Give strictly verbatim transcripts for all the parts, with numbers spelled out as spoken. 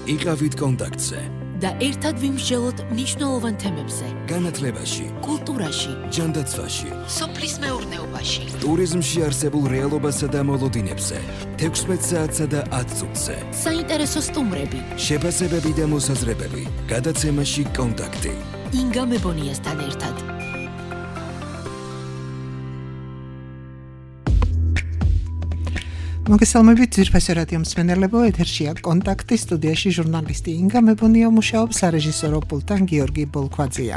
იყავით კონტაქტზე და ერთად ვიმსჯელოთ მნიშვნელოვან თემებზე. განათლებაში, კულტურაში, ჯანდაცვაში, სოფლის მეურნეობაში, ტურიზმში არსებულ რეალობასა და მოლოდინებზე, თექვსმეტ საათსა და ათ წუთზე. საინტერესო სტუმრები, შეფასებები და მოსაზრებები, გადაცემაში კონტაქტი. ინგა მებონიასთან ერთად. მოგესალმებით ძირფასი რადიო მსმენელებო, ეთერშია კონტაქტი, სტუდიაში ჟურნალისტი ინგა მებონია მუშაობს, სარეჟისორო პულტთან გიორგი ბოლქვაძეა.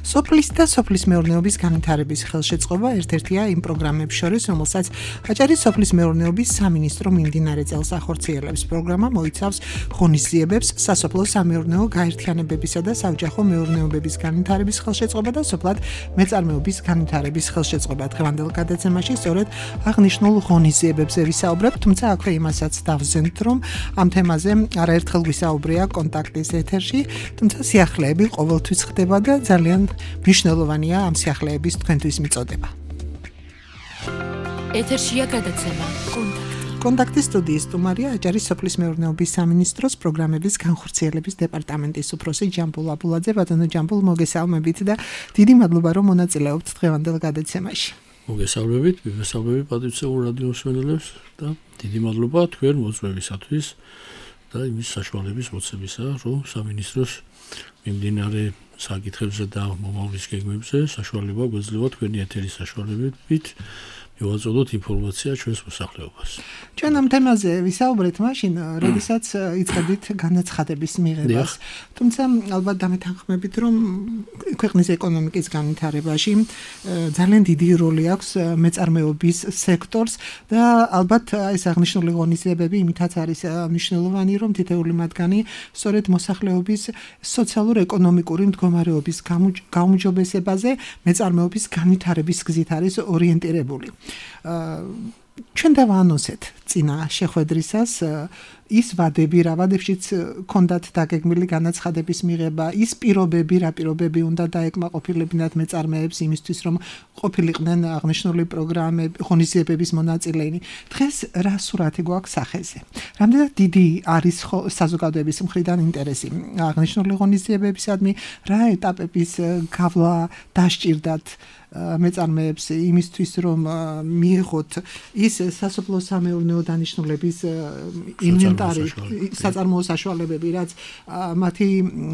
სოფლის და სოფლის მეურნეობის განვითარების ხელშეწყობა ერთ-ერთია იმ პროგრამებს შორის, რომელსაც აჭარის სოფლის მეურნეობის სამინისტრო მიმდინარე წელს ახორციელებს. პროგრამა მოიცავს ღონისძიებებს, სასოფლო-სამეურნეო გაერთიანებებისა და საოჯახო მეურნეობების განვითარების ხელშეწყობა და სოფლად მეწარმეობის განვითარების ხელშეწყობა. დღევანდელ გადაცემაში სწორედ აღნიშნულ ღონისძიებებზე ვისაუბრებთ. თუმცა აქვე იმასაც დავზენთ, რომ ამ თემაზე არაერთხელ ვისაუბრია კონტაქტის ეთერში, თუმცა სიახლეები ყოველთვის ხდება და ძალიან მნიშვნელოვანია ამ სიახლეების თქვენთვის მიწოდება. ეთერშია გადაცემა კონტაქტი. კონტაქტის სტუდიის სტუმარია აჭარის სოფლის მეურნეობის სამინისტროს პროგრამების განხორციელების დეპარტამენტის უფროსი ჯამბულ აბულაძე. ბატონო ჯამბულ, მოგესალმებით და დიდი მადლობა, რომ მონაწილეობთ დღევანდელ გადაცემაში. მოგესალმებით, მოგესალმებით პატრიციულ რადიო მსმენელებს და დიდი მადლობა თქვენ მოწვევისათვის და იმის საშუალების მოცემისა, რომ სამინისტროს მიმდინარე საკითხებზე და მომავლის გეგმებზე საშუალება გვეძლევა თქვენი ეთერის საშუალებით მივაწოდოთ ინფორმაცია ჩვენს მოსახლეობას. ჩვენ ამ თემაზე ვისაუბრეთ მაშინ, როდესაც იწყებდით განაცხადების მიღებას. თუმცა ალბათ დამეთანხმებით, რომ ქვეყნის ეკონომიკის განვითარებაში ძალიან დიდი როლი აქვს მეწარმეობის სექტორს და ალბათ ეს აღნიშნული ღონისძიებები იმითაც არის მნიშვნელოვანი, რომ თითეული მათგანი სწორედ მოსახლეობის სოციალურ-ეკონომიკური მდგომარეობის გაუმჯობესებაზე მეწარმეობის განვითარების გზით არის ორიენტირებული. ჩვენ დავაანონსეთ წინა შეხვედრისას ის ვადები, რა ვადებშიც ქონდათ დაგეგმილი განაცხადების მიღება, ის პირობები, რა პირობები უნდა დაეკმაყოფილებინათ მეწარმეებს იმისთვის, რომ ყოფილიყვნენ აღნიშნული პროგრამები, ღონისძიებების მონაწილენი. დღეს რა სურათი გვაქვს სახეზე? რამდენად დიდი არის საზოგადოების მხრიდან ინტერესი აღნიშნული ღონისძიებებისადმი, რა ეტაპების გავლა დასჭირდათ მეწარმეებს იმისთვის, რომ მიიღოთ ის სასოფლო-სამეურნეო დანიშნულების ინვენტარი, საწარმოო საშუალებები, რაც მათი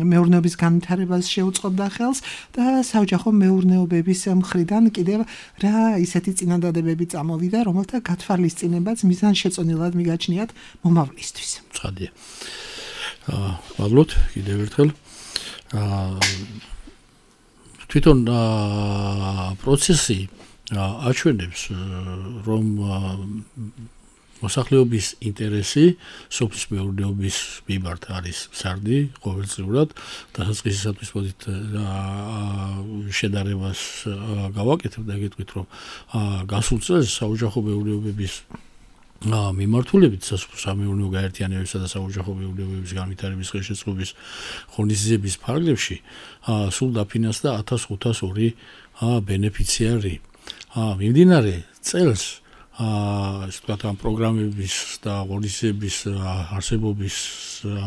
მეურნეობის განვითარებას შეუწყობდა ხელს და საოჯახო მეურნეობების მხრიდან კიდევ რა ისეთი წინადადებები წამოვიდა, რომელთა გათვალისწინებაც მიზანშეწონილად მიგაჩნიათ მომავლისთვის. ცხადია. მადლობთ კიდევ ერთხელ. თვითონ პროცესი აჩვენებს, რომ მოსახლეობის ინტერესი სოფლის მეურნეობის მიმართ არის სარდი ყოველწლიურად. დასაწყისისათვის მოდით შედარებას გავაკეთებ და გეტყვით, რომ გასულ წელს საოჯახო მეურნეობების მიმართულებით სასოფლო-სამეურნეო გაერთიანებებისა და საოჯახო მეურნეობების განვითარების ხელშეწყობის ღონისძიების ფარგლებში სულ დაფინანსდა ათას ხუთას ორი ბენეფიციარი. მიმდინარე წელს ასე ვთქვათ, ამ პროგრამების და ღონისძიების არსებობის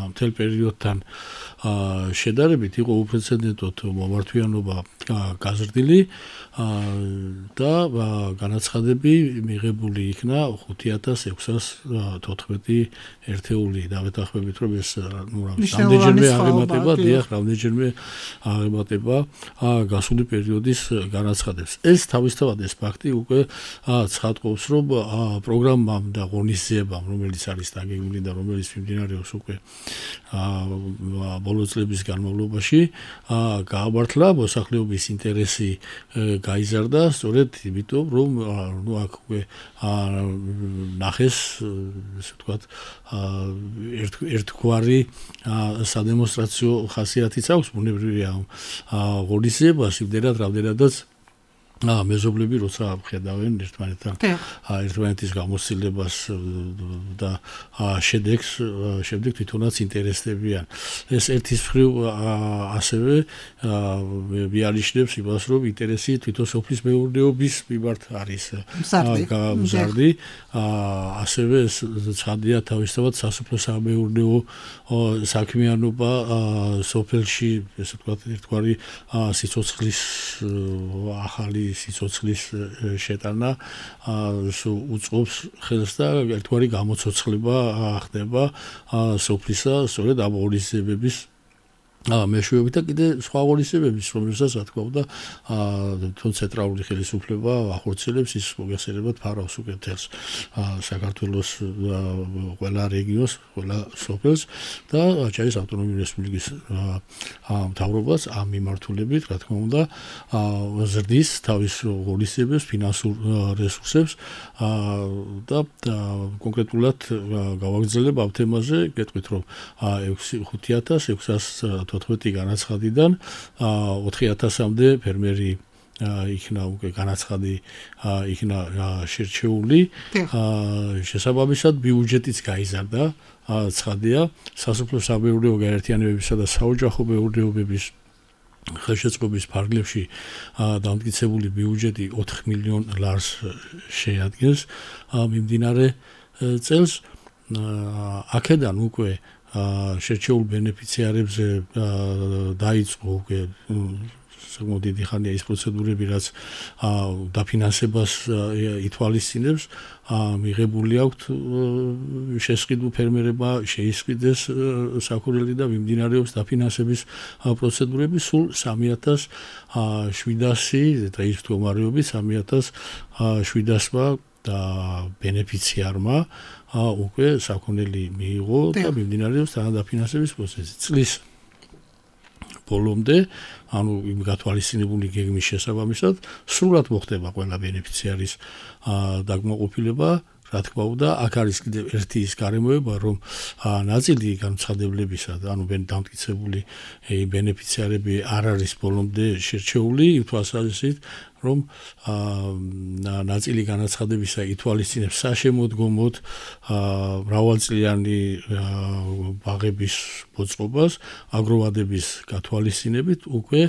მთელ პერიოდთან შედარებით იყო უპრეცედენტოდ მომართვიანობა გაზრდილი და განაცხადები მიღებული იქნა ხუთი ათას ექვსას თოთხმეტი ერთეული. დავეთანხმებით, რომ ეს რამდენჯერმე აღემატება, დიახ, რამდენჯერმე აღემატება გასული პერიოდის განაცხადებს. ეს თავისთავად ეს ფაქტი უკვე ცხადყოფს, რომ პროგრამამ და ღონისძიებამ, რომელიც არის დაგეგმილი და რომელიც მიმდინარეობს უკვე ბოლო წლების განმავლობაში, გაამართლა მოსახლეობის ინტერესი გაიზარდა, სწორედ იმიტომ, რომ ნუ აქ უკვე ნახეს, ესე ვთქვათ, ერთგვარი სადემონსტრაციო ხასიათიც აქვს, ბუნებრივია ღონისძიებას, იმდენად, რამდენადაც აა მეზობლები როცა ხედავენ ერთმანეთთან ერთმანეთის გამოცდილებას და შედეგს შემდეგ თვითონაც ინტერესდებიან. ეს ერთის მხრივ ასევე მიანიშნებს იმას, რომ ინტერესი თვითონ სოფლის მეურნეობის მიმართ არის გამზარდი. ასევე ცხადია თავისთავად სასოფლო-სამეურნეო საქმიანობა სოფელში, ესე ვთქვათ, ერთგვარი სიცოცხლის ახალი სიცოცხლის შეტანა უწყობს ხელს და ერთგვარი გამოცოცხლება ხდება სოფლისა, სწორედ ამ ღონისძიებების მეშვეობით და კიდე სხვა ღონისძიებების, რომელსაც რა თქმა უნდა თვითონ ცენტრალური ხელისუფლება ახორციელებს, ის მოგესალმებით ფარავს უკვე თელს საქართველოს ყველა რეგიონს, ყველა სოფელს და ჩაის ავტონომიური რესპუბლიკის მთავრობას ამ მიმართულებით, რა თქმა უნდა, ზრდის თავის ღონისძიებებს, ფინანსურ რესურსებს და კონკრეტულად გავაგრძელებ ამ თემაზე, გეტყვით რომ ხუთი ათას ექვსას თოთხმეტი განაცხადიდან ოთხი ათასამდე ფერმერი იქნა უკვე განაცხადი იქნა შერჩეული შესაბამისად ბიუჯეტიც გაიზარდა ცხადია სასოფლო-სამეურნეო გაერთიანებებისა და საოჯახო მეურნეობების ხელშეწყობის ფარგლებში დამტკიცებული ბიუჯეტი ოთხ მილიონ ლარს შეადგენს მიმდინარე წელს აქედან უკვე შერჩეულ ბენეფიციარებზე დაიწყო უკვე საკმაოდ დიდი ხანია ის პროცედურები, რაც დაფინანსებას ითვალისწინებს, მიღებული აქვთ შესყიდულ ფერმერებმა შეისყიდეს საქონელი და მიმდინარეობს დაფინანსების პროცედურები სულ სამი ათას შვიდასი და ის მდგომარეობით სამი ათას შვიდასმა და ბენეფიციარმა უკვე საქონელი მიიღო და მიმდინარეობს დაფინანსების პროცესი. წლის ბოლომდე, ანუ იმ გათვალისწინებული გეგმის შესაბამისად, სრულად მოხდება ყველა ბენეფიციარის დაკმაყოფილება. რა თქმა უნდა, აქ არის კიდევ ერთი ის გარემოება, რომ ნაწილი განცხადებლებისა, ანუ დამტკიცებული ბენეფიციარები არ არის ბოლომდე შერჩეული, იმ თვალსაზრისით, რომ ნაწილი განაცხადებისა ითვალისწინებს საშემოდგომოდ მრავალწლიანი ბაღების მოწყობას, აგროვადების გათვალისწინებით უკვე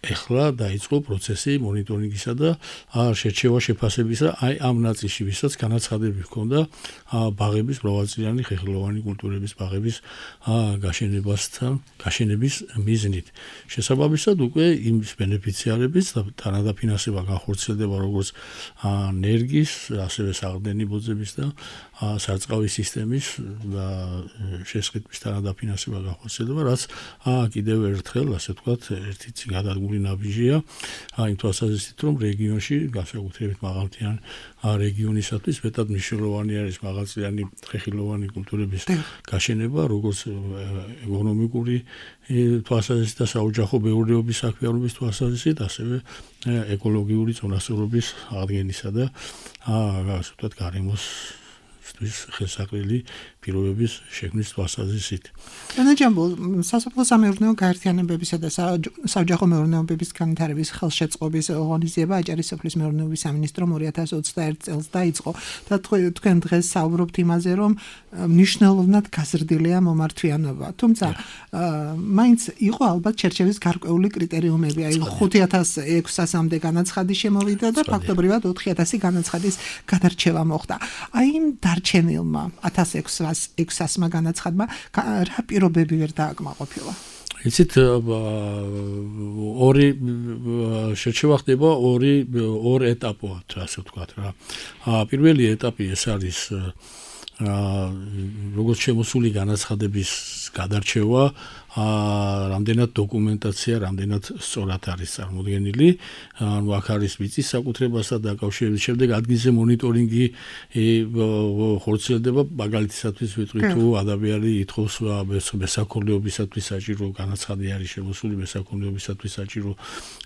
ეხლა დაიწყო პროცესი მონიტორინგისა და შერჩევა შეფასებისა აი ამ ნაწილში, ვისაც განაცხადები ჰქონდა ბაღების მრავალწლიანი ხეხილოვანი კულტურების ბაღების გაშენებასთან, გაშენების მიზნით. შესაბამისად უკვე იმ ბენეფიციარების თანადაფინანსება განხორციელდება როგორც ნერგის, ასევე საყრდენი ბოძების და სარწყავი სისტემის და შესყიდვის თანადაფინანსება განხორციელდება, რაც კიდევ ერთხელ, ასე ვთქვათ, ერთი გადადგმული ნაბიჯია, იმ თვალსაზრისით, რომ რეგიონში, განსაკუთრებით მაღალმთიან რეგიონისათვის მეტად მნიშვნელოვანი არის მაღალწლიანი ხეხილოვანი კულტურების გაშენება, როგორც ეკონომიკური თვალსაზრისით და საოჯახო მეურნეობის საქმიანობის თვალსაზრისით, ასევე ეკოლოგიური წონასწორობის აღდგენისა და ასე ვთქვათ, გარემოს ხელსაყრელი პირობების შექმნის თვალსაზრისით. ენაჯამბულ სასოფლო-სამეურნეო გაერთიანებებისა და საოჯახო მეურნეობების განვითარების ხელშეწყობის ღონისძიება აჭარის სოფლის მეურნეობის სამინისტრომ ორი ათას ოცდაერთი წელს დაიწყო და თქვენ დღეს საუბრობთ იმაზე, რომ მნიშვნელოვნად გაზრდილია მომართვიანობა. თუმცა მაინც იყო ალბათ შერჩევის გარკვეული კრიტერიუმები, აი ხუთი ათას ექვსასამდე განაცხადი შემოვიდა და ფაქტობრივად ოთხი ათასი განაცხადის გადარჩევა მოხდა. აი იმ დარჩენილმა ათას ექვსასმა განაცხადმა რა პირობები ვერ დააკმაყოფილა? იცით, ორი შერჩევა ხდება ორი ორ ეტაპად, ასე ვთქვათ რა. პირველი ეტაპი ეს არის როგორც შემოსული განაცხადების გადარჩევა, რამდენად დოკუმენტაცია, რამდენად სწორად არის წარმოდგენილი, ანუ აქ არის მიწის საკუთრებასთან დაკავშირებით, შემდეგ ადგილზე მონიტორინგი ხორციელდება, მაგალითისათვის ვიტყვი თუ ადამიანი ითხოვს მესაქონლეობისათვის საჭირო განაცხადი არის შემოსული, მესაქონლეობისათვის საჭირო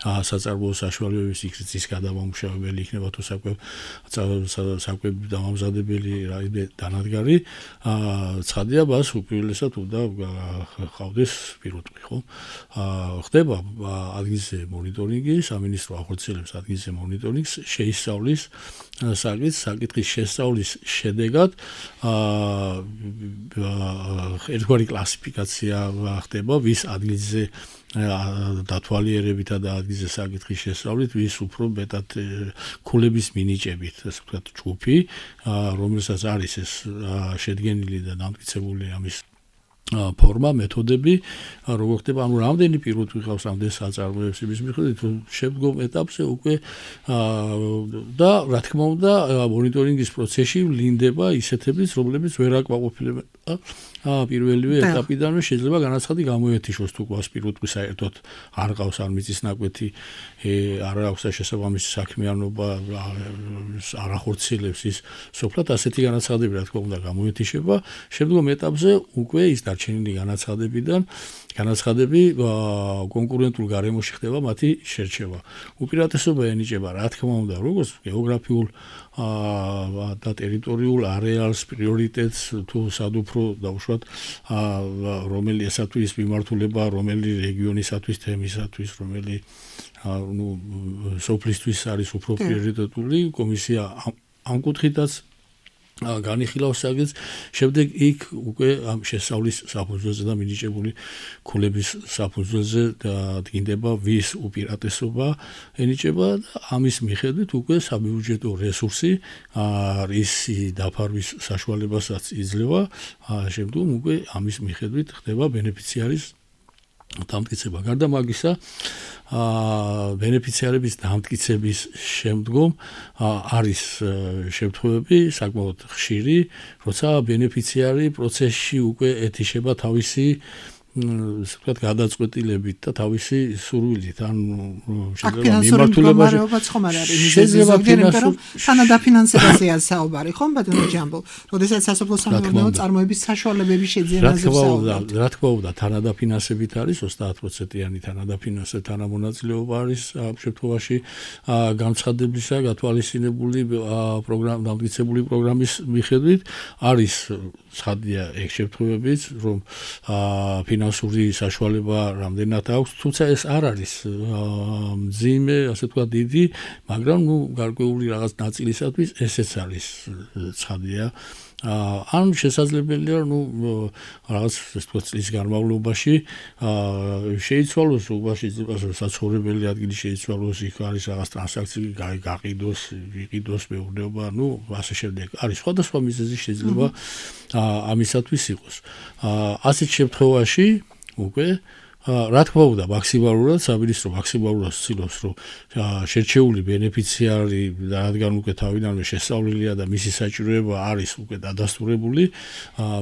საწარმოო საშუალებების იქცის გადამამუშავებელი იქნება თუ საკვებ საკვებ დამამზადებელი რაიმე დანადგარი, ცხადია მას უპირველესად უნდა ხავდეს პირუტყვი, ხო? აა ხდება ადგილზე მონიტორინგი, სამინისტრო ახორციელებს ადგილზე მონიტორინგს, შეისწავლის საკითხის, საკითხის შესწავლის შედეგად აა ერთგვარი კლასიფიკაცია ხდება, ვის ადგილზე დათვალიერებითა და ადგილზე საკითხის შესწავლით, ვის უფრო მეტად ქულების მინიჭებით, ასე ვთქვათ, ჯგუფი, რომელსაც არის ეს შედგენილი და დამტკიცებული ამის ფორმა, მეთოდები, როგორ ხდება, ანუ რამდენი პირუტყვი ყავს, რამდენი საწარმოებს იმის მიხედვით, რომ შემდგომ ეტაპზე უკვე და რა თქმა უნდა, მონიტორინგის პროცესში ვლინდება ისეთებიც, რომლებიც ვერ აკმაყოფილებენ აა პირველივე ეტაპიდანვე შეიძლება განაცხადი გამოეთიშოს თუ ყავს პირუტყვი საერთოდ არ ყავს არ მიწის ნაკვეთი არ აქვს შესაბამისი საქმიანობა არ ახორციელებს ის სოფლად ასეთი განაცხადები რა თქმა უნდა გამოეთიშება შემდგომ ეტაპზე უკვე ის დარჩენილი განაცხადებიდან განაცხადები კონკურენტულ გარემოში ხდება მათი შერჩევა უპირატესობა ენიჭება რა თქმა უნდა როგორც გეოგრაფიულ და ტერიტორიულ არეალს პრიორიტეტს თუ სადუფრო დაუშვათ რომელი ესათვის მიმართულება რომელი რეგიონისათვის თემისათვის რომელი ну სოფლისთვის არის უფრო პრიორიტეტული კომისია ამ კუთხითაც განიხილავს საკითხს შემდეგ იქ უკვე ამ შესწავლის საფუძველზე და მინიჭებული ქულების საფუძველზე დგინდება ვის უპირატესობა ენიჭება და ამის მიხედვით უკვე საბიუჯეტო რესურსი რისი დაფარვის საშუალებასაც იძლევა შემდგომ უკვე ამის მიხედვით ხდება ბენეფიციარის დამტკიცება გარდა მაგისა აა ბენეფიციარების დამტკიცების შემდგომ არის შემთხვევები საკმაოდ ხშირი, როცა ბენეფიციარი პროცესში უკვე ეთიშება თავისი ვთქვათ გადაწყვეტილებით და თავისი სურვილით, ანუ შეიძლება მიმართულებაში ხომ არ არის შეიძლება რომ თანადაფინანსებაზეა საუბარი, ხომ ბატონო ჯამბო, როდესაც სასოფლო სამეურნეო წარმოების საშუალებების შეძენაზე საუბრობთ. რა თქმა უნდა, თანადაფინანსებით არის ოცდაათ პროცენტიანი თანადაფინანსება, თანამონაწილეობა არის ამ შემთხვევაში განცხადებისა, გათვალისწინებული პროგრამა, დამტკიცებული პროგრამის მიხედვით არის ცხადია ეგ შემთხვევებიც, რომ ფინანსური საშუალება რამდენად აქვს, თუმცა ეს არ არის მძიმე, ასე თქვა დიდი, მაგრამ ნუ გარკვეული რაღაც ნაწილისათვის ესეც არის ცხადია. ან შესაძლებელია, ნუ რაღაც ეს თქვა წლის განმავლობაში შეიცვალოს უბრალოდ საცხოვრებელი ადგილი შეიცვალოს, იქ არის რაღაც ტრანზაქცია გაყიდოს, ვიყიდოს მეურნეობა, ნუ ასე შემდეგ. არის სხვადასხვა მიზეზი შეიძლება ამისათვის იყოს. ასეთ შემთხვევაში უკვე რა თქმა უნდა მაქსიმალურად სამინისტრო მაქსიმალურად ცდილობს რომ შერჩეული ბენეფიციარი რადგან უკვე თავიდანვე შესწავლილია და მისი საჭიროება არის უკვე დადასტურებული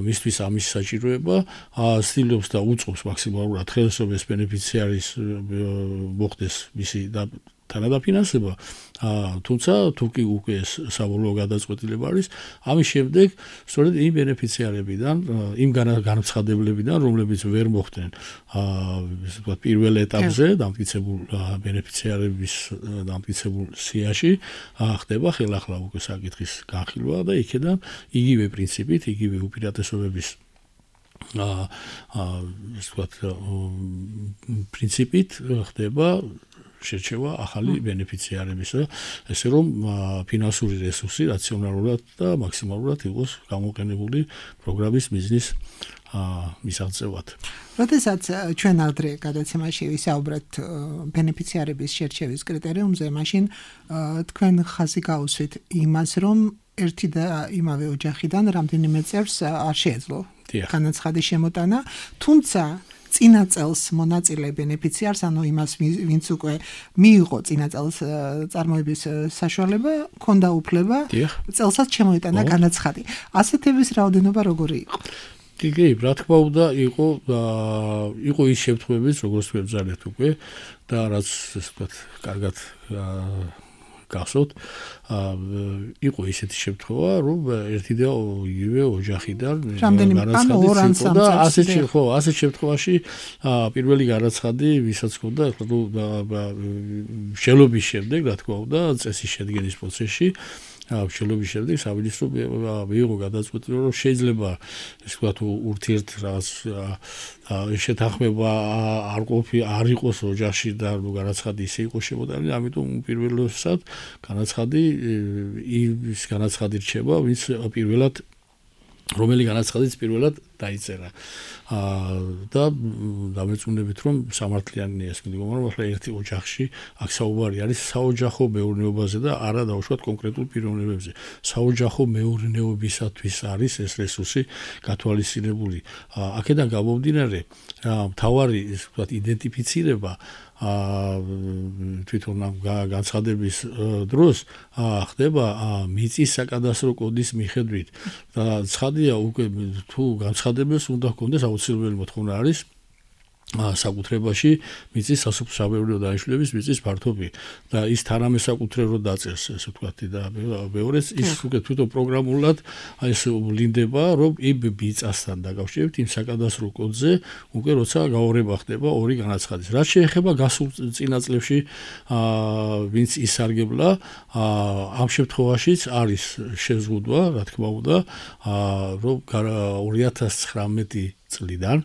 მისთვის ამის საჭიროება ცდილობს და უწყობს მაქსიმალურად ხელისუფლების ბენეფიციარის მოხდეს მისი თანადაფინანსება თუმცა თუ კი უკვე საბოლოო გადაწყვეტილება არის ამის შემდეგ სწორედ იმ ბენეფიციარებიდან იმ განცხადებლებიდან რომლებიც ვერ მოხდნენ ასე ვთქვათ პირველ ეტაპზე დამტკიცებულ ბენეფიციარების დამტკიცებულ სიაში ხდება ხელახლა უკვე საკითხის განხილვა და იქედან იგივე პრინციპით იგივე უპირატესობების აა ასე ვთქვათ პრინციპით ხდება შერჩევა ახალი ბენეფიციარებისა, ესე რომ ფინანსური რესურსი რაციონალურად და მაქსიმალურად იყოს გამოყენებული პროგრამის მიზნის მისაღწევად. როდესაც ჩვენ ადრე გადაცემაში ვისაუბრეთ ბენეფიციარების შერჩევის კრიტერიუმზე, მაშინ თქვენ ხაზი გაუსვით იმას, რომ ერთი და იმავე ოჯახიდან რამდენიმე წევრს არ შეეძლო განაცხადის შემოტანა, თუმცა წინა წელს მონაწილე ბენეფიციარს, ანუ იმას ვინც უკვე მიიღო წინა წელს წარმოების საშუალება, ჰქონდა უფლება წელსაც შემოიტანა განაცხადი. ასეთების რაოდენობა როგორი იყო? კი, რა თქმა უნდა, იყო იყო ის შემთხვევებიც, როგორც ვებძალეთ უკვე და რაც ასე ვთქვათ, კარგად გახსოვთ, იყო ისეთი შემთხვევა, რომ ერთი და იგივე ოჯახიდან განაცხადი იყო და ასეთ ხო, ასეთ შემთხვევაში პირველი განაცხადი, ვისაც ჰქონდა, ნუ შელობის შემდეგ, რა თქმა უნდა, წესის შედგენის პროცესში მშენებლობის შემდეგ სამინისტრო მიიღო გადაწყვეტილება, რომ შეიძლება ეს ვთქვათ ურთიერთ რაღაც შეთანხმება არ ყოფი არ იყოს ოჯახში და განაცხადი ისე იყო შემოტანილი, ამიტომ უპირველესად განაცხადი ის განაცხადი რჩება, ვინც პირველად რომელი განაცხადიც პირველად დაიწერა. და დამეწუნებით, რომ სამართლიანია ეს მდგომა, რომ ახლა ერთი ოჯახში აქ საუბარი არის საოჯახო მეურნეობაზე და არა დაუშვათ კონკრეტულ პიროვნებებზე. საოჯახო მეურნეობისათვის არის ეს რესურსი გათვალისწინებული. აქედან გამომდინარე, მთავარი ის ვთქვათ იდენტიფიცირება თვითონ განცხადების დროს ხდება მიწის საკადასტრო კოდის მიხედვით და ცხადია უკვე თუ განცხადებელს უნდა ჰქონდეს აუცილებელი მოთხოვნა არის საკუთრებაში მიწის სასოფლო-სამეურნეო დანიშნულების მიწის ფართობი და ის თანამესაკუთრებო დაწერს ესე ვთქვათ და მეორეც ის უკვე თვითონ პროგრამულად ეს ვლინდება რომ იმ მიწასთან დაკავშირებით იმ საკადასტრო კოდზე უკვე როცა გაურება ხდება ორი განაცხადის რაც შეეხება გასულ წინა წლებში ვინც ისარგებლა ამ შემთხვევაშიც არის შეზღუდვა რა თქმა უნდა რომ ორი ათას ცხრამეტი წლიდან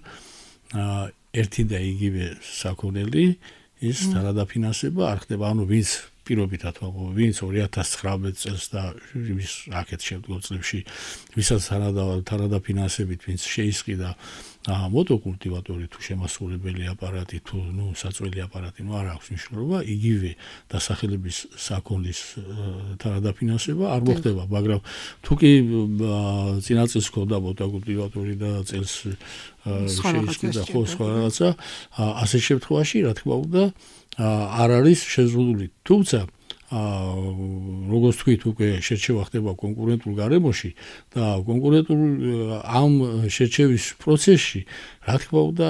ერთი და იგივე საქონელი ის თანადაფინანსება არ ხდება, ანუ ვინც პირობითად ვაღო, ვინც ორი ათას ცხრამეტ წელს და ის აქეთ შემდგომ წლებში ვისაც თანადაფინანსებით ვინც შეისყიდა მოტოკულტივატორი თუ შემასრულებელი აპარატი თუ ნუ საწველი აპარატი ნუ არ აქვს მნიშვნელობა, იგივე დასახელების საქონლის თანადაფინანსება არ მოხდება, მაგრამ თუ კი წინა წელს ჰქონდა მოტოკულტივატორი და წელს შეისყიდა ხო სხვა რაღაცა, ასე შემთხვევაში რა თქმა უნდა არ არის შეზღუდული. თუმცა როგორც თქვით უკვე შერჩევა ხდება კონკურენტულ გარემოში და კონკურენტულ ამ შერჩევის პროცესში რა თქმა უნდა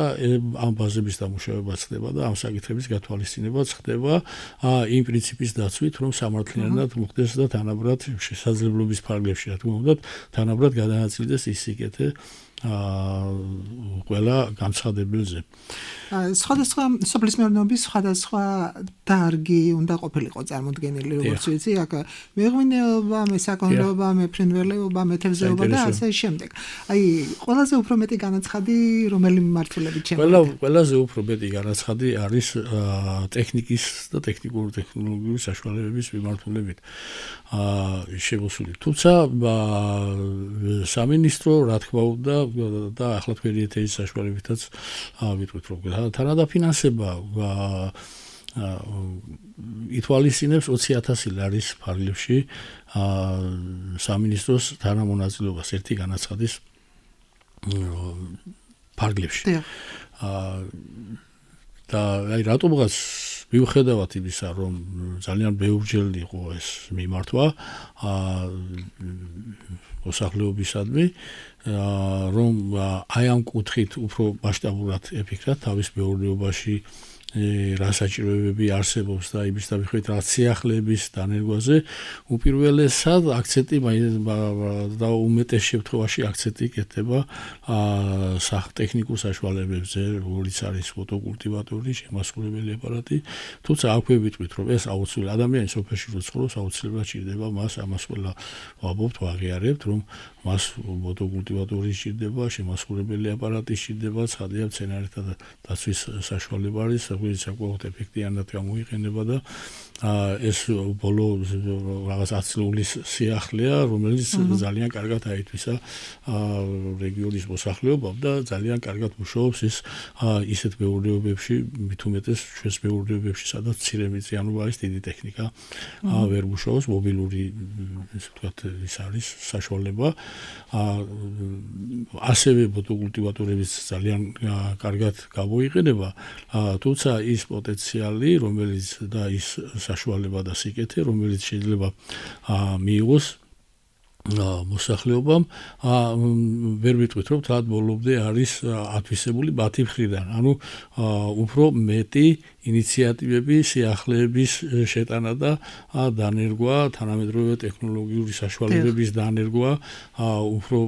ამ ბაზების დამუშავებაც ხდება და ამ საკითხების გათვალისწინებაც ხდება იმ პრინციპის დაცვით რომ სამართლიანად მოხდეს და თანაბრად შესაძლებლობის ფარგლებში რა თქმა უნდა თანაბრად გადააწილდეს ის სიკეთე ყველა განცხადებელზე. სხვადასხვა სოფლის მეურნეობის სხვადასხვა დარგი უნდა ყოფილიყო წარმოდგენილი, როგორც ვიცი, აქ მეღვინეობა, მესაქონლეობა, მეფრინველეობა, მეთევზეობა და ასე შემდეგ. აი, ყველაზე უფრო მეტი განაცხადი რომელი მიმართულებით შემოვიდა? ყველა ყველაზე უფრო მეტი განაცხადი არის ტექნიკის და ტექნიკური ტექნოლოგიური საშუალებების მიმართულებით შემოსული. თუმცა სამინისტრო რა თქმა უნდა და ახლა თქვენი ეთერის საშუალებითაც ვიტყვით რომ თანადაფინანსება ითვალისწინებს ოცი ათასი ლარის ფარგლებში სამინისტროს თანამონაწილეობას ერთი განაცხადის ფარგლებში. და აი რატომღაც მიუხედავად იმისა რომ ძალიან ბევრჯერ იყო ეს მიმართვა მოსახლეობისადმი რომ აი ამ კუთხით უფრო მასშტაბურად ეფიქრათ თავის მეურნეობაში რა საჭიროებები არსებობს და იმის დამიხვით რა სიახლეების დანერგვაზე უპირველესად აქცენტი და უმეტეს შემთხვევაში აქცენტი კეთდება ტექნიკურ საშუალებებზე, როგორც არის მოტოკულტივატორი, შემასრულებელი აპარატი, თუმცა აქვე ვიტყვით რომ ეს აუცილებელი ადამიანის სოფელში რო ცხოვრობს აუცილებლად ჭირდება მას ამას ყველა ვაბობთ, ვაღიარებთ რომ მას მოტოკულტივატორი ჭირდება, შემასრულებელი აპარატი ჭირდება, ცხადია მცენარეთა დაცვის საშუალება არის საკმაოდ ეფექტიანად გამოიყენება და ეს ბოლო რაღაც ათწლეულის სიახლეა, რომელიც ძალიან კარგად აითვისა რეგიონის მოსახლეობამ და ძალიან კარგად მუშაობს ის ისეთ მეურნეობებში, მით უმეტეს ჩვენს მეურნეობებში, სადაც მცირე მიწიანობა არის, დიდი ტექნიკა ვერ მუშაობს, მობილური ესე ვთქვათ ის არის საშუალება. ასევე მოტოკულტივატორებიც ძალიან კარგად გამოიყენება, თუმცა ის პოტენციალი, რომელიც და ის საშუალება და სიკეთე, რომელიც შეიძლება მიიღოს მოსახლეობამ ვერ ვიტყვით რომ თან ბოლომდე არის ათვისებული მათი მხრიდან, ანუ უფრო მეტი ინიციატივები, სიახლეების შეტანა და დანერგვა, თანამედროვე ტექნოლოგიური საშუალებების დანერგვა, უფრო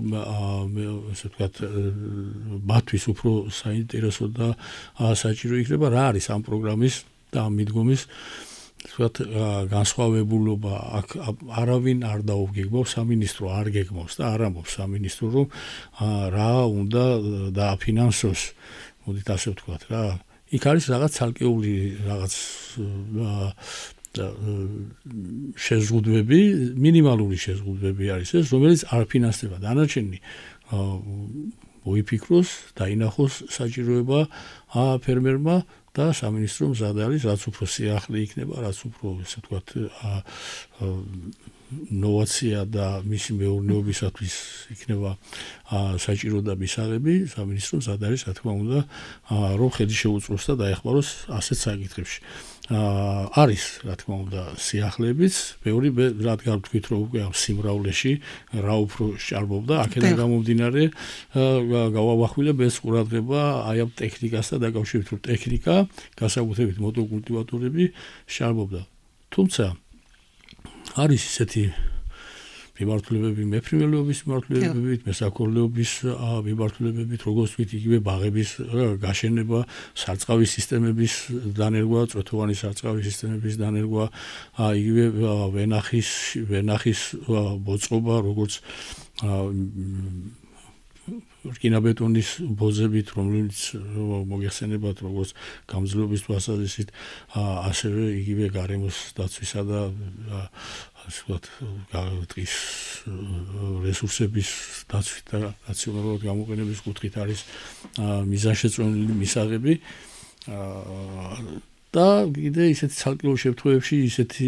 ესე ვთქვათ მათთვის უფრო საინტერესო და საჭირო იქნება რა არის ამ პროგრამის და ამ მიდგომის ვთქვათ, განსხვავებულობა აქ არავინ არ დაუგეგმავს, სამინისტრო არ გეგმავს და არ ამბობს სამინისტრო, რომ რა უნდა დააფინანსოს, მოდით ასე ვთქვათ რა. იქ არის რაღაც ცალკეული რაღაც შეზღუდვები, მინიმალური შეზღუდვები არის ეს, რომელიც არ ფინანსდება. დანარჩენი მოიფიქროს, დაინახოს საჭიროება ფერმერმა და სამინისტრო მზად არის, რაც უფრო სიახლე იქნება, რაც უფრო, ესე ვთქვათ, ნოვაცია და მისი მეურნეობისათვის იქნება საჭირო და მისაღები, სამინისტრო მზად არის, რა თქმა უნდა, რომ ხედი შეუწყოს და დაეხმაროს ასეთ საკითხებში. არის, რა თქმა უნდა, სიახლეებიც, ბევრი რადგან ვთქვით, რომ უკვე ამ სიმრავლეში რა უფრო სჭარბობდა, აქედან გამომდინარე გავავახვილებ ეს ყურადღება აი ამ ტექნიკასთან დაკავშირებით, რომ ტექნიკა, განსაკუთრებით მოტოკულტივატორები სჭარბობდა. თუმცა არის ისეთი მიმართულებები, მეფრინველეობის მიმართულებებით, მესაქონლეობის მიმართულებებით, როგორც ვთქვით, იგივე ბაღების გაშენება, სარწყავი სისტემების დანერგვა, წვეთოვანი სარწყავი სისტემების დანერგვა, იგივე ვენახის, ვენახის მოწყობა, როგორც რკინაბეტონის ბოზებით, რომელიც მოგეხსენებათ, როგორც გამძლეობის თვალსაზრისით, ასევე იგივე გარემოს დაცვისა და ასე ვთქვათ, ტყის რესურსების დაცვით და რაციონალურად გამოყენების კუთხით არის მიზანშეწონილი მისაღები. და კიდე ისეთი ცალკეულ შემთხვევებში ისეთი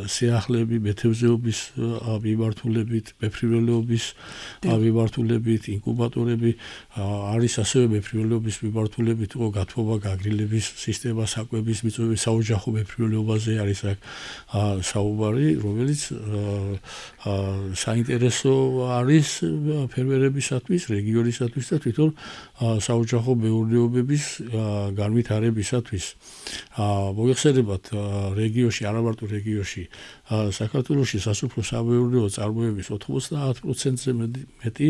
სიახლეები მეთევზეობის მიმართულებით, მეფრინველეობის მიმართულებით, ინკუბატორები არის ასევე მეფრინველეობის მიმართულებით, იყო გათბობა, გაგრილების სისტემა, საკვების მიწვევი, საოჯახო მეფრინველეობაზე არის აქ საუბარი, რომელიც საინტერესო არის ფერმერებისათვის, რეგიონისათვის და თვითონ საოჯახო მეურნეობების განვითარებისათვის. მოგეხსენებათ, რეგიონში, არა მარტო რეგიონში, საქართველოში სასოფლო სამეურნეო წარმოების ოთხმოცდაათ პროცენტზე მეტი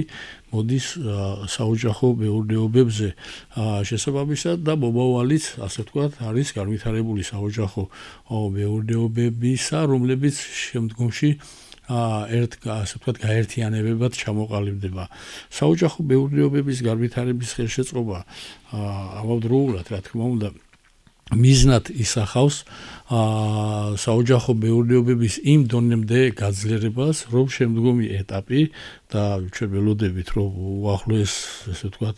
მოდის საოჯახო მეურნეობებზე. შესაბამისად და მომავალიც, ასე ვთქვათ, არის განვითარებული საოჯახო მეურნეობებისა, რომლებიც შემდგომში ერთ, ასე ვთქვათ, გაერთიანებებად ჩამოყალიბდება. საოჯახო მეურნეობების განვითარების ხელშეწყობა ამავდროულად, რა თქმა უნდა, მიზნად ისახავს საოჯახო მეურნეობების იმ დონემდე გაძლიერებას, რომ შემდგომი ეტაპი და ჩვენ ველოდებით, რომ უახლოეს, ესე ვთქვათ,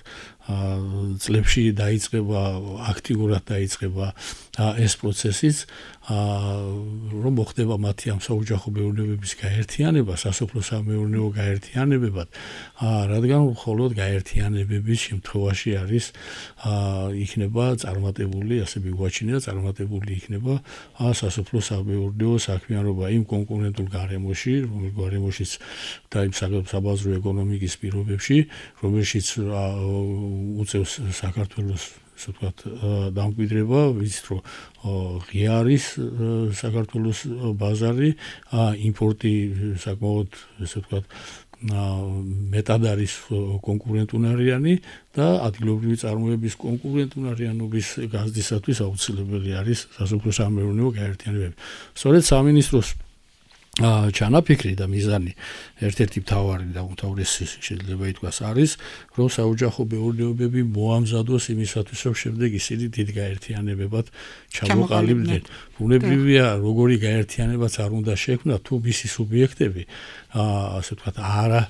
წლებში დაიწყება, აქტიურად დაიწყება ეს პროცესიც, რომ მოხდება მათი ამ საოჯახო მეურნეობების გაერთიანება, სასოფლო სამეურნეო გაერთიანებებად, რადგან მხოლოდ გაერთიანებების შემთხვევაში არის იქნება წარმატებული, ასე მიგვაჩნია, წარმატებული იქნება სასოფლო სამეურნეო საქმიანობა იმ კონკურენტულ გარემოში, რომელიც გარემოშიც და იმ საბაზრო ეკონომიკის პირობებში, რომელშიც უწევს საქართველოს, ასე ვთქვათ, დამკვიდრება, ვიცით, რომ ღია არის საქართველოს ბაზარი, იმპორტი საკმაოდ, ასე ვთქვათ, მეტად არის კონკურენტუნარიანი და ადგილობრივი წარმოების კონკურენტუნარიანობის გაზრდისათვის აუცილებელი არის სასოფლო სამეურნეო გაერთიანებები. სწორედ სამინისტროს ჩანაფიქრი და მიზანი ერთ-ერთი მთავარი და უმთავრესი შეიძლება ითქვას არის, რომ საოჯახო მეურნეობები მოამზადოს იმისათვის, რომ შემდეგ ისინი დიდ გაერთიანებებად ჩამოყალიბდნენ. ბუნებრივია, როგორი გაერთიანებაც არ უნდა შექმნათ, თუ მისი სუბიექტები, ასე ვთქვათ, არა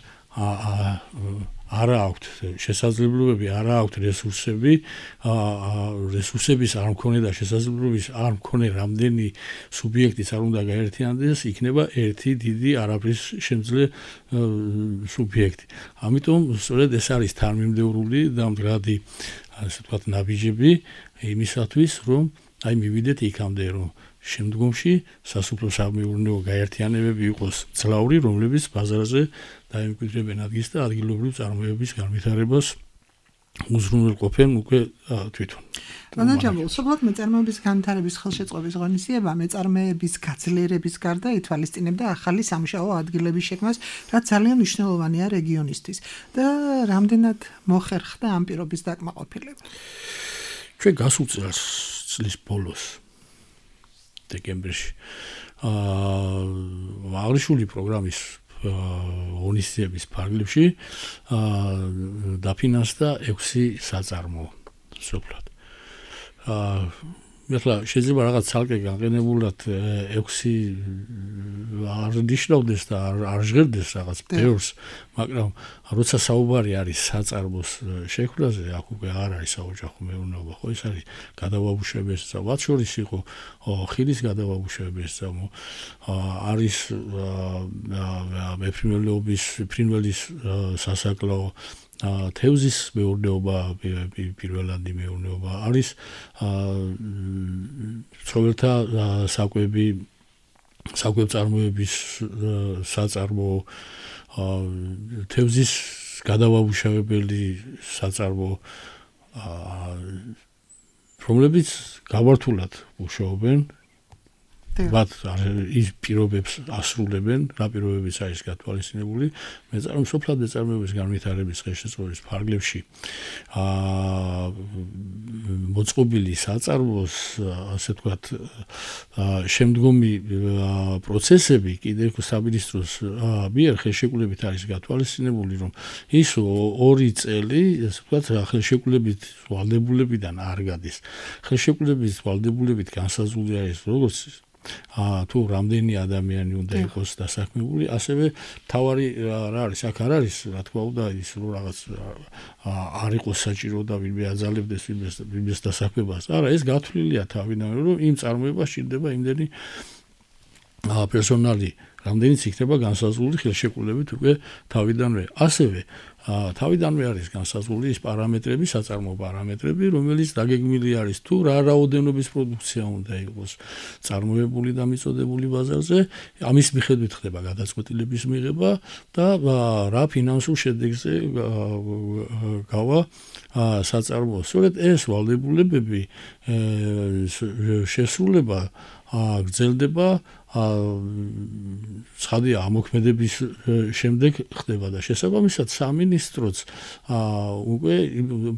არა აქვთ შესაძლებლობები, არა აქვთ რესურსები, რესურსების არ მქონე და შესაძლებლობის არ მქონე რამდენი სუბიექტიც არ უნდა გაერთიანდეს, იქნება ერთი დიდი არაფრის შემძლე სუბიექტი. ამიტომ სწორედ ეს არის თანმიმდევრული და მდგრადი, ასე ვთქვათ, ნაბიჯები იმისათვის, რომ აი მივიდეთ იქამდე, რომ შემდგომში სასოფლო სამეურნეო გაერთიანებები იყოს ძლავრი, რომლებიც ბაზარზე დაემკვიდრებენ ადგილს და ადგილობრივ წარმოების განვითარებას უზრუნველყოფენ უკვე თვითონ. მანაჯამულ, სოფლად მეწარმეობის განვითარების ხელშეწყობის ღონისძიება მეწარმეების გაძლიერების გარდა ითვალისწინებდა ახალი სამუშაო ადგილების შექმნას, რაც ძალიან მნიშვნელოვანია რეგიონისთვის და რამდენად მოხერხდა ამ პირობის დაკმაყოფილება. ჩვენ გასულ წელს წლის ბოლოს დეკემბერში. აა აღნიშნული პროგრამის ღონისძიების ფარგლებში დაფინანსდა ექვსი საწარმო სოფლად. აა მეთლა შეიძლება რაღაც ცალკე განყენებულად ექვსი არ ნიშნავდეს და არ ჟღერდეს რაღაც ბევრს, მაგრამ როცა საუბარი არის საწარმოს შექმნაზე, აქ უკვე არ არის საოჯახო მეურნეობა, ხო ეს არის გადავაბუშების და მათ შორის იყო ხილის გადავაბუშების და არის მეფრინველობის, ფრინველის სასაკლაო თევზის მეურნეობა, პირველადი მეურნეობა არის ცხოველთა საკვები, საკვებწარმოების საწარმო, თევზის გადავამუშავებელი საწარმო, რომლებიც გამართულად მუშაობენ, მათ ის პირობებს ასრულებენ, რა პირობებიც არის გათვალისწინებული, მეწარმე-სოფლად მეწარმეობის განვითარების ხელშეწყობის ფარგლებში აა მოწყობილი საწარმოს, ასე ვთქვათ, შემდგომი პროცესები კიდევ სამინისტროს მიერ ხელშეკრულებით არის გათვალისწინებული, რომ ის ორი წელი, ასე ვთქვათ, ხელშეკრულებით ვალდებულებიდან არ გადის. ხელშეკრულებით ვალდებულებით განსაზღვრული არის როგორც აა თუ რამდენი ადამიანი უნდა იყოს დასაქმებული, ასევე თავარი რა არის, აქ არ არის, რა თქმა უნდა, ის რომ რაღაც არ იყოს საჭირო და ვინმე აძალებდეს ვინმეს დასაქმებას. არა, ეს გათვლილია თავიდანვე, რომ იმ წარმოებას სჭირდება იმდენი პერსონალი, რამდენიც იქნება განსაზღვრული ხელშეკრულებით უკვე თავიდანვე. ასევე თავიდანვე არის განსაზღვრული ის პარამეტრები, საწარმო პარამეტრები, რომელიც დაგეგმილი არის თუ რა რაოდენობის პროდუქცია უნდა იყოს წარმოებული და მიწოდებული ბაზარზე, ამის მიხედვით ხდება გადაწყვეტილების მიღება და რა ფინანსურ შედეგზე გავა საწარმო. სწორედ ეს ვალდებულებები შესრულება გრძელდება ცხადი ამოქმედების შემდეგ ხდება და შესაბამისად სამინისტროც უკვე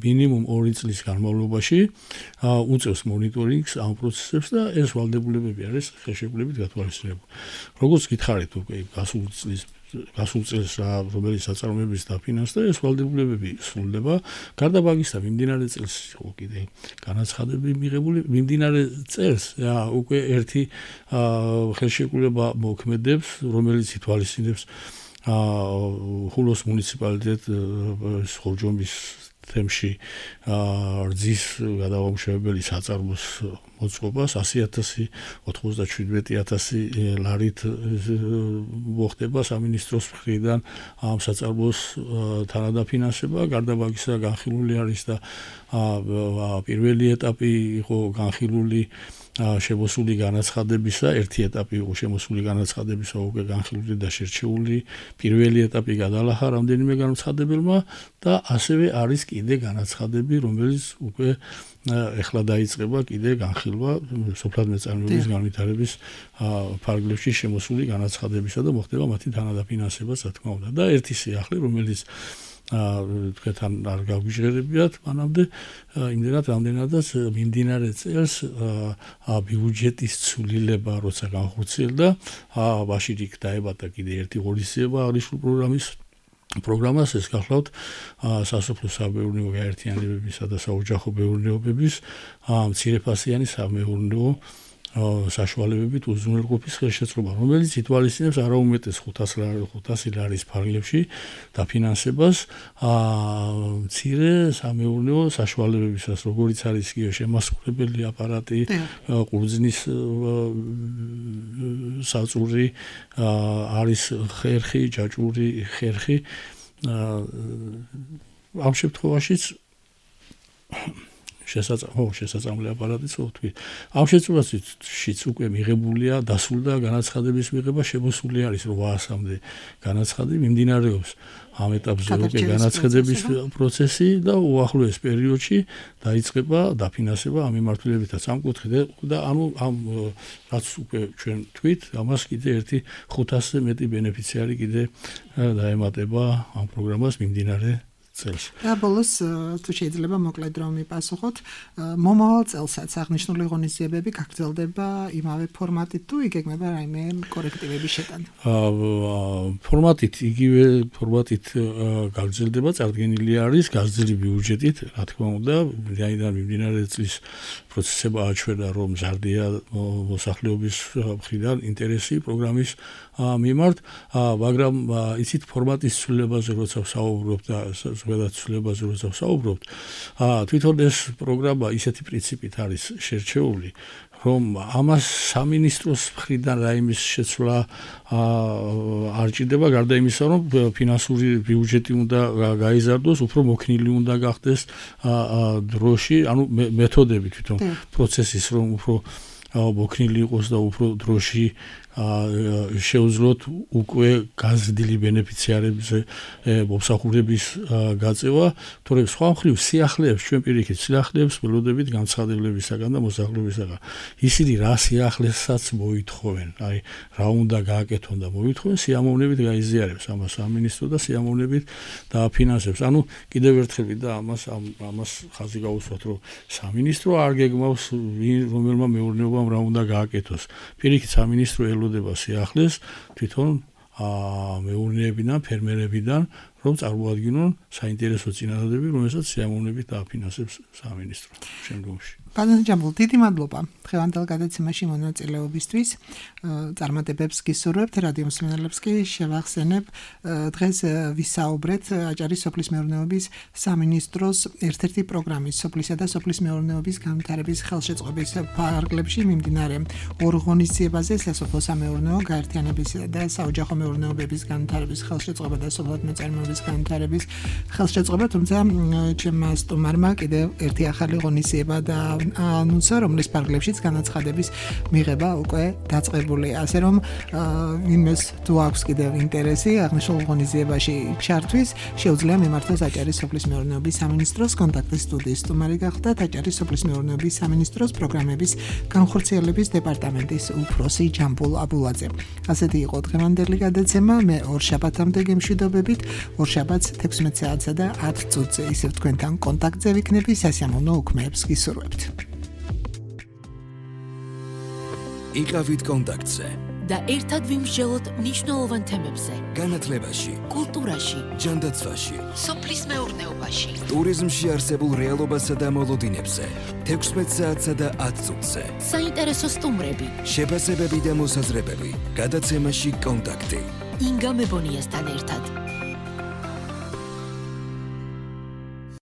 მინიმუმ ორი წლის განმავლობაში უწევს მონიტორინგს ამ პროცესებს და ეს ვალდებულებები არის ხელშეკრულებით გათვალისწინებული. როგორც გითხარით უკვე გასულ წლის გასულ წელს რომელიც საწარმოების დაფინანსდა, ეს ვალდებულებები სრულდება. გარდა მაგისა, მიმდინარე წელს იყო კიდე განაცხადები მიღებული, მიმდინარე წელს უკვე ერთი ხელშეკრულება მოქმედებს, რომელიც ითვალისწინებს ხულოს მუნიციპალიტეტს ხორჯომის თემში რძის გადავამუშავებელი საწარმოს მოწყობას ასი ათასი ოცდაშვიდმეტი ათასი ლარით მოხდება სამინისტროს მხრიდან ამ საწარმოს თანადაფინანსება. გარდა მაგისა განხილული არის და პირველი ეტაპი იყო განხილული შემოსული განაცხადებისა, ერთი ეტაპი იყო შემოსული განაცხადებისა უკვე განხილული და შერჩეული, პირველი ეტაპი გადალახა რამდენიმე განაცხადებელმა და ასევე არის კიდე განაცხადები, რომელიც უკვე ეხლა დაიწყება კიდე განხილვა სოფლად მეწარმეობის განვითარების ფარგლებში შემოსული განაცხადებისა და მოხდება მათი თანადაფინანსება, რა თქმა უნდა. და ერთი სიახლე, რომელიც თქვენ არ გავიჟღერებიათ მანამდე, იმდენად რამდენადაც მიმდინარე წელს ბიუჯეტის ცვლილება როცა განხორციელდა, მაშინ იქ დაებადა კიდე ერთი ღონისძიება აღნიშნული პროგრამის პროგრამას, ეს გახლავთ სასოფლო სამეურნეო გაერთიანებებისა და საოჯახო მეურნეობების მცირეფასიანი სამეურნეო საშუალებებით უზრუნველყოფის ხელშეწყობა, რომელიც ითვალისწინებს არაუმეტეს ხუთასი ლარის ფარგლებში დაფინანსებას მცირე სამეურნეო საშუალებებისას, როგორიც არის იგივე შემასწავლებელი აპარატი, ყურძნის საწური, არის ხერხი, ჯაჭვური ხერხი. ამ შემთხვევაშიც შესაძლოა შესაძლებელი აპარატიც ვთქვი. ამ შემთხვევაშიც უკვე მიღებულია, დასრულდა განაცხადების მიღება, შემოსული არის რვაასამდე განაცხადი, მიმდინარეობს ამ ეტაპზე უკვე განაცხადების პროცესი და უახლოეს პერიოდში დაიწყება დაფინანსება ამ მიმართულებითაც ამ კუთხით და ანუ ამ რაც უკვე ჩვენ თქვით, ამას კიდე ერთი ხუთასზე მეტი ბენეფიციარი კიდე დაემატება ამ პროგრამას მიმდინარე წელს. და ბოლოს თუ შეიძლება მოკლედ რომ მიპასუხოთ, მომავალ წელსაც აღნიშნული ღონისძიებები გაგრძელდება იმავე ფორმატით თუ იგეგმება რაიმე კორექტივების შეტანა? ფორმატით იგივე ფორმატით გაგრძელდება, წარდგენილი არის გაზრდილი ბიუჯეტით, რა თქმა უნდა, რაიდან მიმდინარე წლის პროცესება აჩვენა, რომ მზარდია მოსახლეობის მხრიდან ინტერესი პროგრამის მიმართ, მაგრამ იცით ფორმატის ცვლილებაზე როცა ვსაუბრობ და ზოგადად ცვლილებაზე როცა ვსაუბრობ, თვითონ ეს პროგრამა ისეთი პრინციპით არის შერჩეული, რომ ამას სამინისტროს მხრიდან რაიმის შეცვლა არ ჭირდება, გარდა იმისა, რომ ფინანსური ბიუჯეტი უნდა გაიზარდოს, უფრო მოქნილი უნდა გახდეს დროში, ანუ მეთოდები თვითონ პროცესის, რომ უფრო მოქნილი იყოს და უფრო დროში შეუძლოთ უკვე გაზრდილი ბენეფიციარებზე მომსახურების გაწევა, თორემ სხვა მხრივ სიახლეებს ჩვენ პირიქით სიახლეებს ველოდებით განცხადებლებისაგან და მოსახლეობისაგან. ისინი რა სიახლესაც მოითხოვენ, აი რა უნდა გააკეთონ და მოითხოვენ, სიამოვნებით გაიზიარებს ამას სამინისტრო და სიამოვნებით დააფინანსებს. ანუ კიდევ ერთხელ და ამას ამას ხაზი გაუსვათ, რომ სამინისტრო არ გეგმავს რომელმა მეურნეობამ რა უნდა გააკეთოს. პირიქით სამინისტრო ელოდება სიახლეს თვითონ მეურნეებიდან, ფერმერებიდან, რომ წარმოადგინონ საინტერესო წინადადები, რომელსაც სიამოვნებით დააფინანსებს სამინისტრო შემდგომში. Pán Jambul, დიდი მადლობა დღევანდელ გადაცემაში მონაწილეობისთვის. წარმატებებს გისურვებთ, რადიო მსმენელებს კი შევახსენებ, დღეს ვისაუბრეთ აჭარის სოფლის მეურნეობის სამინისტროს ერთ-ერთი პროგრამის სოფლისა და სოფლის მეურნეობის განვითარების ხელშეწყობის ფარგლებში მიმდინარე ორ ღონისძიებაზე სასოფლო სამეურნეო გაერთიანების და საოჯახო მეურნეობების განვითარების ხელშეწყობა და სოფლმოწარმოების განვითარების ხელშეწყობა, თუმცა ჩემმა სტუმარმა კიდევ ერთი ახალი ღონისძიება და ანონსა, რომლის ფარგლებშიც განაცხადების მიღება უკვე დაწყებულია. ასე რომ ვინმეს თუ აქვს კიდევ ინტერესი აღნიშნულ ღონისძიებაში ჩართვის, შეუძლია მიმართოს აჭარის სოფლის მეურნეობის სამინისტროს კონტაქტის სტუდიის სტუმარი გახდათ აჭარის სოფლის მეურნეობის სამინისტროს პროგრამების განხორციელების დეპარტამენტის უფროსი ჯამბულ აბულაძე. ასეთი იყო დღევანდელი გადაცემა. მე ორ შაბათამდე გემშვიდობებით, ორ შაბათს თექვსმეტ საათსა და ათ წუთზე ისევ თქვენთან კონტაქტზე ვიქნები, სასიამოვნო უქმეებს გისურვებთ. იყავით კონტაქტზე და ერთად ვიმსჯელოთ მნიშვნელოვან თემებზე. განათლებაში, კულტურაში, ჯანდაცვაში, სოფლის მეურნეობაში, ტურიზმში არსებულ რეალობასა და მოლოდინებზე, თექვსმეტ საათსა და ათ წუთზე. საინტერესო სტუმრები, შეფასებები და მოსაზრებები. გადაცემაში კონტაქტი. ინგა მებონიასთან ერთად.